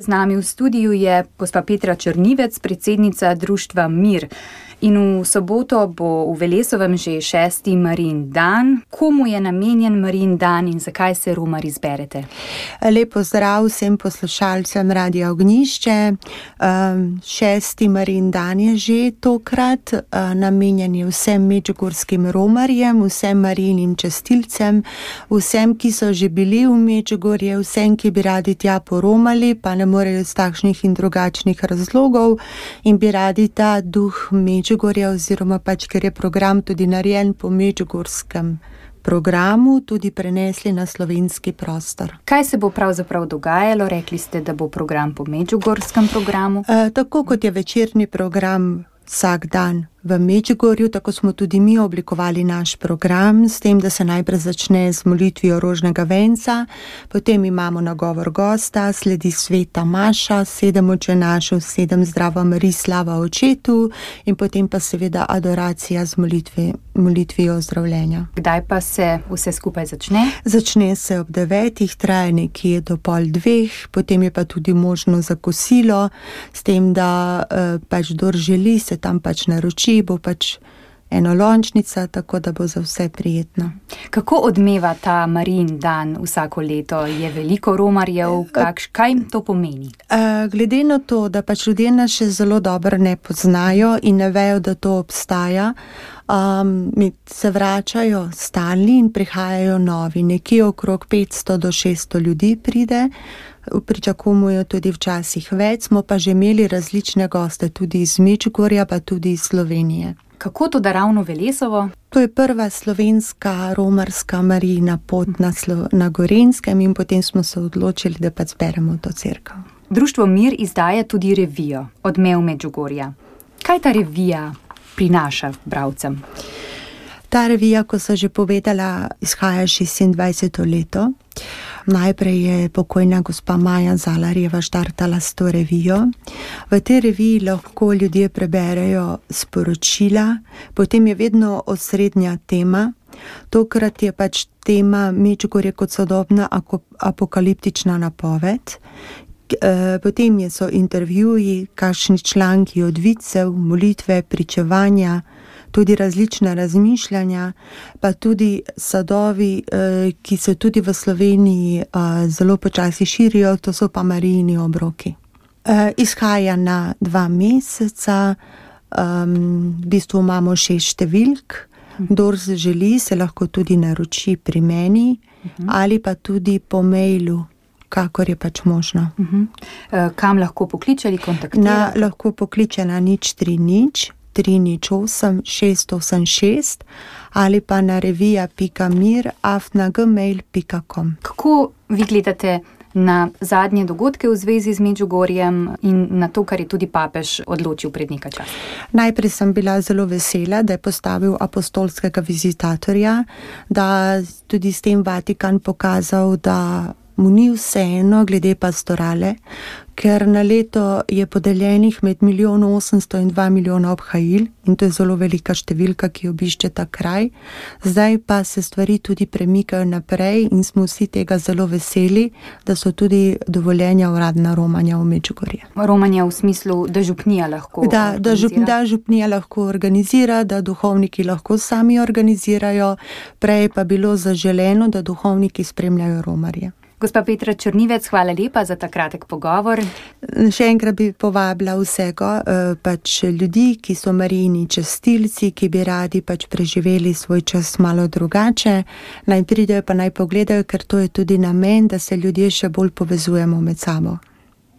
Z nami v studiu je gospa Petra Črnivec, predsednica društva Mir. In v soboto bo v Velesovem že 6. Marijin dan. Komu je namenjen Marijin dan in zakaj se romar izberete? Lep pozdrav vsem poslušalcem Radia Ognjišče. 6. Marijin dan je že tokrat, namenjen je vsem medžugorskim romarjem, vsem Marijinim častilcem, vsem, ki so že bili v Medžugorje, vsem, ki bi radi tja poromali, pa ne morejo iz takšnih in drugačnih razlogov in bi radi ta duh Medžugorja oziroma ker je program tudi narejen po medžugorskem programu, tudi prenesli na slovenski prostor. Kaj se bo pravzaprav dogajalo? Rekli ste, da bo program po medžugorskem programu. Tako kot je večerni program vsak dan v Medžugorju, tako smo tudi mi oblikovali naš program, s tem, da se najprej začne z molitvijo rožnega venca, potem imamo nagovor gosta, sledi sveta maša, 7 Oče našev, 7 Zdrava Marij, slava Očetu in potem pa seveda adoracija z molitvijo ozdravljenja. Kdaj pa se vse skupaj začne? Začne se ob 9, traja nekje do 1:30, potem je pa tudi možno za kosilo, s tem, da kdor želi, se tam naroči, bo enolončnica, tako da bo za vse prijetno. Kako odmeva ta Marijin dan vsako leto? Je veliko romarjev? Kaj jim to pomeni? Glede na to, da ljudje nas še zelo dobro ne poznajo in ne vejo, da to obstaja, se vračajo stalni in prihajajo novi. Nekje okrog 500 do 600 ljudi pride, pričakujemo tudi včasih več, smo pa že imeli različne goste, tudi iz Medžugorja, pa tudi iz Slovenije. Kako to, da ravno Velesovo? To je prva slovenska romarska Marijina pot na Gorenjskem in potem smo se odločili, da zberemo to cerkev. Društvo Mir izdaja tudi revijo Odmev Medžugorja. Kaj ta revija prinaša bralcem? Ta revija, ko so že povedala, izhaja 26. leto. Najprej je pokojna gospa Maja Zalarjeva štartala s to revijo. V tej reviji lahko ljudje preberejo sporočila, potem je vedno osrednja tema. Tokrat je tema Medžugorje kot sodobna apokaliptična napoved. Potem so intervjuji, kakšni članki od vicev, molitve, pričevanja, tudi različna razmišljanja, pa tudi sadovi, ki se tudi v Sloveniji zelo počasi širijo, to so pa Marijini obroki. Izhaja na 2 meseca, v bistvu imamo 6 številk, kdor želi, se lahko tudi naroči pri meni ali pa tudi po mailu, kakor je možno. Kam lahko pokliče ali kontaktira? Lahko pokliče na 030 308 686 ali pa na revija.mir@gmail.com. Kako vi gledate na zadnje dogodke v zvezi z Medžugorjem in na to, kar je tudi papež odločil pred nekaj časa? Najprej sem bila zelo vesela, da je postavil apostolskega vizitatorja, da tudi s tem Vatikan pokazal, da mu ni vseeno glede pastorale, ker na leto je podeljenih med 1 800 000 in 2 milijona obhajil in to je zelo velika številka, ki obišče ta kraj. Zdaj pa se stvari tudi premikajo naprej in smo vsi tega zelo veseli, da so tudi dovoljenja uradna romanja v Medžugorje. Romanja v smislu, da župnija lahko organizira? Da župnija lahko organizira, da duhovniki lahko sami organizirajo, prej pa bilo zaželeno, da duhovniki spremljajo romarje. Gospa Petra Črnivec, hvala lepa za ta kratek pogovor. Še enkrat bi povabila vsega, ljudi, ki so Marijini častilci, ki bi radi preživeli svoj čas malo drugače, naj pridejo pa naj pogledajo, ker to je tudi namen, da se ljudje še bolj povezujemo med sabo.